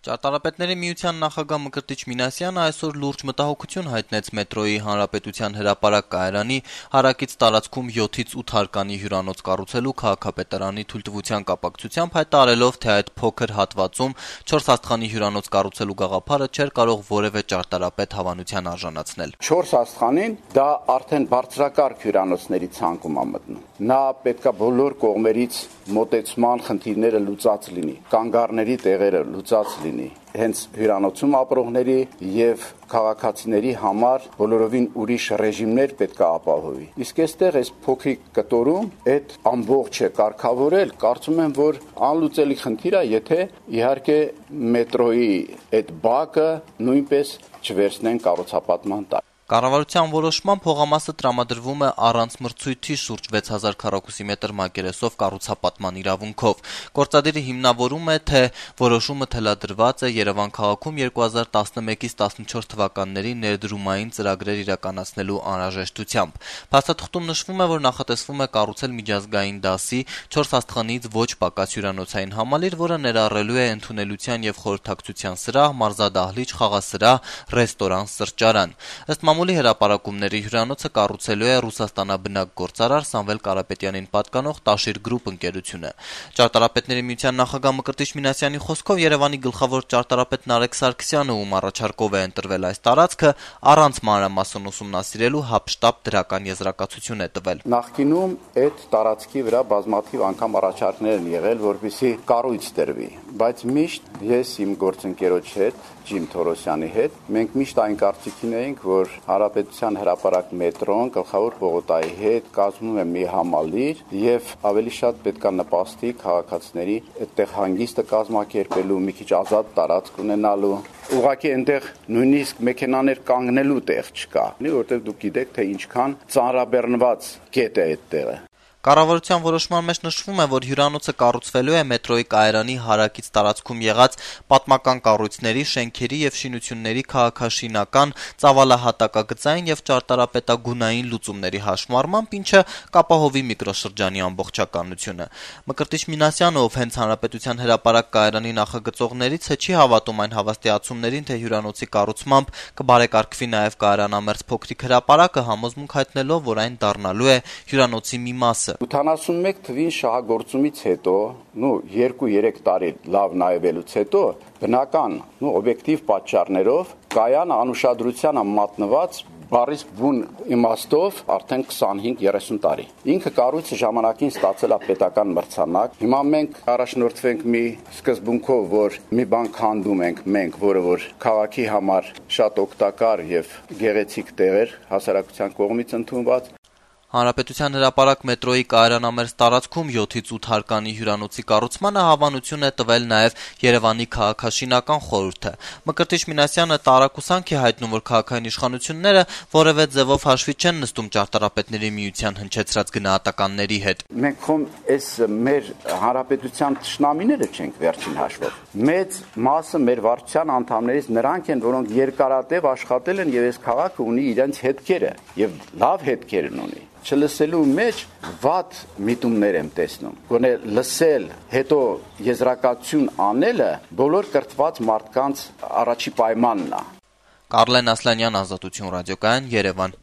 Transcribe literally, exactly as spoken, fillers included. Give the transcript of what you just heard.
Ճարտարապետների միության նախագահ Մկրտիչ Մինասյանը այսօր լուրջ մտահոգություն հայտնեց մետրոյի Հանրապետության հրապարակ կայարանի հարակից տարածքում յոթից ութ հարկանի հյուրանոց կառուցելու քաղաքապետարանի թույլտվության կապակցությամբ, հայտարարելով, թե այդ փոքր հատվածում չորս աստղանի հյուրանոց կառուցելու գաղափարը չէր կարող որևէ ճարտարապետ հավանության արժանացնել։ Չորս աստղանին դա արդեն բարձրակարգ հյուրանոցների ցանկում է մտնում։ Նա պետքա բոլոր կողմերից մոտեցման խնդիրները լուծած լինի, կանգառների տեղերը լուծած լինի, հենց հյուրանոցում ապրողների եւ քաղաքացիների համար բոլորովին ուրիշ ռեժիմներ պետք է ապահովի։ Իսկ այստեղ այս փոքրիկ կտորում այդ ամբողջը կարգավորել, կարծում եմ, որ անլուծելի խնդիր է, եթե իհարկե մետրոյի այդ բակը նույնպես չվերցնեն կառուցապատման տակ։ Կառավարության որոշմամբ փողամասը տրամադրվում է առանց մրցույթի շուրջ վեց հազար քառակուսի մետր մակերեսով կառուցապատման իրավունքով։ Գործադիրը հիմնավորում է, թե որոշումը թելադրված է Երևան քաղաքում երկու հազար տասնմեկից տասնչորս թվականների ներդրումային ծրագրեր իրականացնելու անհրաժեշտությամբ։ Փաստաթղթում նշվում է, որ նախատեսվում է կառուցել միջազգային դասի չորս աստղանից ոչ պակաս հյուրանոցային համալիր, որը ներառելու է ընդունելության եւ խորհրդակցության սրահ, մարզադահլիճ, խաղասրահ, ռեստորան, սրճարան։ Ըստ մամուլի հրապարակումների հյուրանոցը կառուցելու է Ռուսաստանաբնակ գործարար Սամվել Կարապետյանին պատկանող Տաշիր գրուպ ընկերությունը։ Ճարտարապետների միության նախագահ Մկրտիչ Մինասյանի խոսքով Երևանի գլխավոր ճարտարապետ Նարեկ Սարգսյանը, ում առաջարկով է ընտրվել այս տարածքը, առանց մանրամասն ուսումնասիրելու հապշտապ դրական եզրակացություն է տվել։ Նախկինում այդ տարածքի վրա բազմաթիվ անգամ առաջարկներ են եղել, որպեսզի կառույց տրվի, բայց միշտ ես իմ գործընկերոջ հետ, Ջիմ Թորոսյանի հետ, մենք միշտ այն կարծիքին էինք, որ Հանրապետության հրապարակ մետրոն գլխավոր պողոտայի հետ կազմում է մի համալիր եւ ավելի շատ պետքա նպաստի քաղաքացիների այդտեղ հանգիստը կազմակերպելու, մի քիչ ազատ տարածք ունենալու։ Ուղղակի այնտեղ նույնիսկ մեքենաներ կանգնելու տեղ չկա, որտեղ դուք գիտեք, թե ինչքան ծանրաբեռնված կետ է այդ տեղը։ Կառավարության որոշման մեջ նշվում է, որ հյուրանոցը կառուցվելու է մետրոյի կայարանի հարակից տարածքում եղած պատմական կառույցների, շենքերի եւ շինությունների քաղաքաշինական, ծավալահատակագծային եւ ճարտարապետագունային լուծումների հաշմարմամբ, ինչը կապահովի միկրոշրջանի ամբողջականությունը։ Մկրտիչ Մինասյանը, ով հենց Հանրապետության հրապարակ կայարանի նախագծողներից է, չի հավատում այն հավաստիացումներին, թե հյուրանոցի կառուցմամբ կբարեկարգվի նաեւ կայարանամերձ փոքրիկ հրապարակը, համոզմունք հայտնելով, որ այն դառնալու է հյուրանոցի մի մասը։ ութանասունմեկ թվին շահագործումից հետո, նու երկու-երեք տարի լավ նայվելուց հետո, բնական, նու օբյեկտիվ պատճառներով կայանը անուշադրության մատնված բառից բուն իմաստով արդեն քսանհինգ երեսուն տարի։ Ինքը կառույցը ժամանակին ստացել է պետական մրցանակ։ Հիմա մենք առաջնորդվենք մի սկզբունքով, որ մի բան քանդում ենք մենք, որը որ քաղաքի համար շատ օգտակար եւ գեղեցիկ տեղեր հասարակության կողմից ընդունված։ Հանրապետության հրապարակ մետրոյի կայարանամերձ տարածքում յոթից ութ հարկանի հյուրանոցի կառուցմանը հավանություն է տվել նաև Երևանի քաղաքաշինական խորհուրդը։ Մկրտիչ Մինասյանը տարակուսանք է հայտնում, որ քաղաքային իշխանությունները որևէ ձևով հաշվի չեն նստում ճարտարապետների միության հնչեցրած գնահատականների հետ։ Մենք խոմ այս մեր հանրապետության թշնամիները չենք վերջին հաշվով։ Մեծ մասը մեր վարչության անդամներից նրանք են, որոնք երկարատև աշխատել են եւ այս քաղաքը ունի իրենց հետքերը եւ լավ հետքեր ունի։ Չլսելու մեջ վատ միտումներ եմ տեսնում։ Գոնե լսել, հետո եզրակացություն անելը բոլոր կրթված մարդկանց առաջի պայմանն է։ Կարլեն Ասլանյան, Ազատություն ռադիոկայան, Երևան։